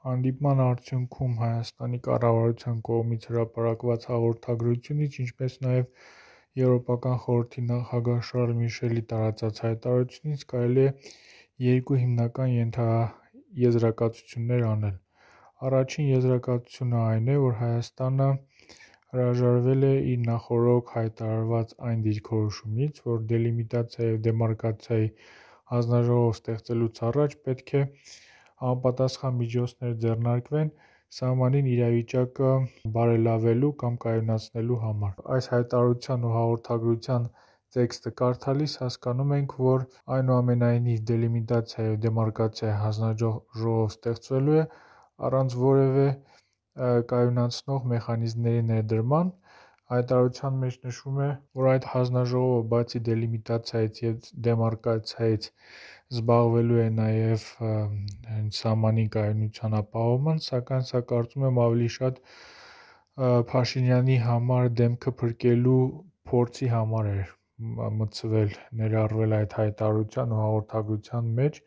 Հանդիպման արդյունքում Հայաստանի կառավարության կողմից հրապարակված հաղորդագրությունից, ինչպես նաև Եվրոպական խորհրդի նախագահ Շարլ Միշելի տարածած հայտարարությունից կարելի է երկու հիմնական եզրակացություններ անել։ Առաջին եզրակացությունը այն է, որ Հայաստանը հրաժարվել է իր նախօրոք հայտարարված այն դիրքորոշումից, որ դելիմիտացիայի և դեմարկացիայի հանձնաժողով ստեղծելուց առաջ պետք է համապատասխան միջոցներ ձեռնարկվեն սահմանին իրավիճակը բարելավելու կամ կայունացնելու համար։ Այս հայտարարության ու հաղորդագրության տեքստը կարդալիս հասկանում ենք, որ այնուամենայնիվ դելիմիտացիայի և դեմարկացիայի հանձնաժողով ստեղծվելու է առանց որևէ կայունացնող մեխանիզմների ներդրման։ Հայտարարության մեջ նշվում է, որ այդ հանձնաժողովը բացի դելիմիտացիայից և դեմարկացիայից զբաղվելու է նաև սահմանի կայունության ապահովմամբ, սակայն սա կարծում եմ ավելի շատ Փաշինյանի համար դեմքը փրկելու փորձի համար էր ներառվել այդ հայտարարության ու հաղորդագրության մեջ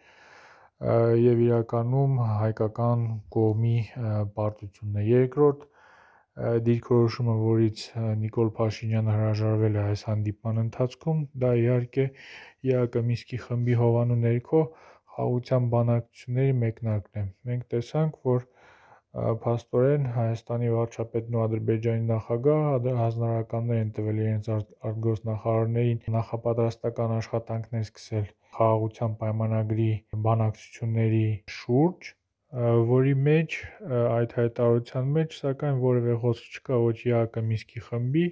և իրականում հայկական կողմի պարտությունն է։ Երկրորդ դիրքորոշումը, որից Նիկոլ Փաշինյանը հրաժարվել է այս հանդիպման ընթացքում, դա իհարկե ԵԱԿ Մինսկի խմբի հովանու ներքո խաղաղության բանակցությունների մեկնարկն է։ Մենք տեսանք, որ փաստորեն Հայաստանի վարչապետն ու Ադրբեջանի նախագահը հանձնարարականներ են տվել իրենց արտգործնախարարներին նախապատրաստական աշխատանքներ սկսել խաղաղության պայմանագրի բանակցությունների շուրջ, որի մեջ այդ հայտարարության մեջ սակայն որևէ խոսք չկա ոչ ԵԱԿ Մինսկի խմբի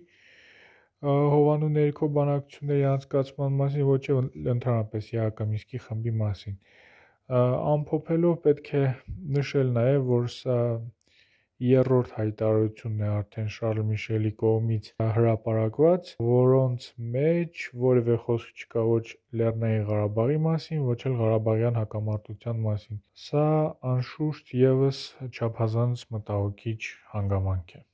հովանու ներքո բանակցությունների անցկացման մասին, ոչ էլ ընդհանրապես ԵԱԿ Մինսկի խմբի մասին։ Ամփոփելով պետք է նշել նաև, որ սա երրորդ հայտարարությունն է արդեն Շարլ Միշելի կողմից հրապարակված, որոնց մեջ որևէ խոսք չկա ոչ Լեռնային Ղարաբաղի մասին, ոչ էլ Ղարաբաղյան հակամարտության մասին։ Սա անշուշտ ևս չափազանց մտահոգիչ հանգամանք է։